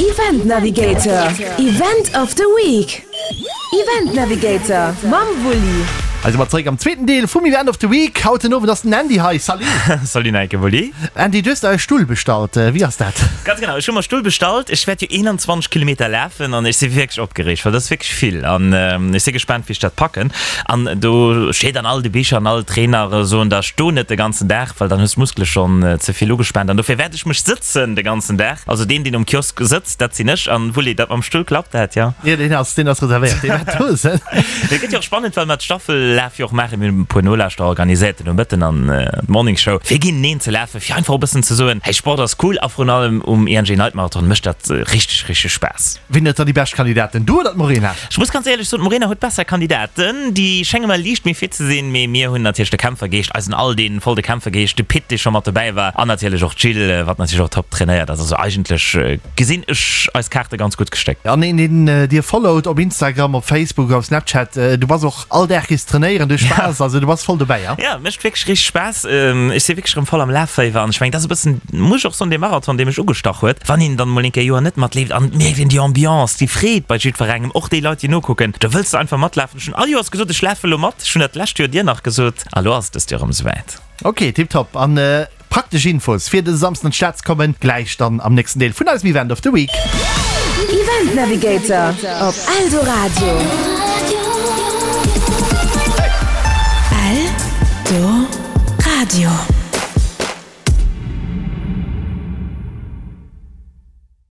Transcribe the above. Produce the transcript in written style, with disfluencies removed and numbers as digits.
Event Navigator, Event of the Week. Event Navigator mam Wulli. Hei si mer zeréck am zweeten Deel vum Event of the Week. Haut den Owend ass den Andy hei. Salut! Salut Nike, Wulli. Andy, du hues der e Stull bestallt. Wéi ass dat? Ganz genau, ech hu mer e Stull bestallt. Ech wäert jo 21 Kilometer lafen an ech si wierklech opgereegt, well dat ass wierklech vill an ech si gespaant, wéi ech dat packen. An do steet an all de Bicher an all Trainere soen der, Sto net de ganzen Dag, well dann hues d'Muskele schonn ze vill ugespaant an dofir wäert ech mech sëtzen de ganzen Dag. Also deen, deen um Kiosk sëtzt, dat sinn ech. An Wulli, dat mam Stull, klappt dat, jo? Jo, deen ass, deen ass reservéiert, dee wäert do sinn. Dat gëtt jo och spannend, well mer d'Staffellaf jo och maachen. Mir hunn e puer Nolauschterer organiséiert den Nomëtten an d'Morningshow, fir géinteneen ze lafen, fir einfach e bëssen ze soen, Hey, Sport ass cool a vrun allem um ING Night Marathon mécht dat richteg, richteg Spaass. Wien huet dann déi bescht Kandidaten, du oder d'Morena? Ech muss ganz éierlech soen, d'Morena huet besser Kandidaten. Déi schénge mer liicht méi fit ze sinn, mee mir hunn natierlech de Kämpfergeescht, eisen Al, dee voll de Kämpfergeescht, de Pit, dee scho mat dobäi war an natierlech och d'Jill, wat natierlech och top trainéiert ass. Also eigentlech gesinn ech eis Kaarte ganz gutt gestéckt. An een, deen dir followt op Instagram, op Facebook, op Snapchat, du bass och all Dag gees trainéieren, du hues Spaass, also du bass voll dobäi, ja? Jo, mécht wierklech richteg Spaass. Ech si wierklech erëm voll am Lafféiwer an ech mengen, dat ass e bëssen, muss ech och soen, dee Marathon, dee mech ugestach huet. Wann een dann mol eng Kéier Joer net matleeft an et mierkt een déi Ambiance, déi Freed bei jiddwerengem, och déi Leit, déi nokucken, da wëlls de einfach matlafen. Ech hunn all Joers gesot, ech lafe lo mat. Ech hunn dat d'lescht Joer dir nach gesot a lo ass et dëst Joer erëm esouwäit. Ok, tiptop. An praktesch Infos fir dëse Samsden an d'Stad ze kommen, gläich dann am nächsten Deel vun eisem Event of the Week. Event Navigator op Eldoradio. Eldoradio.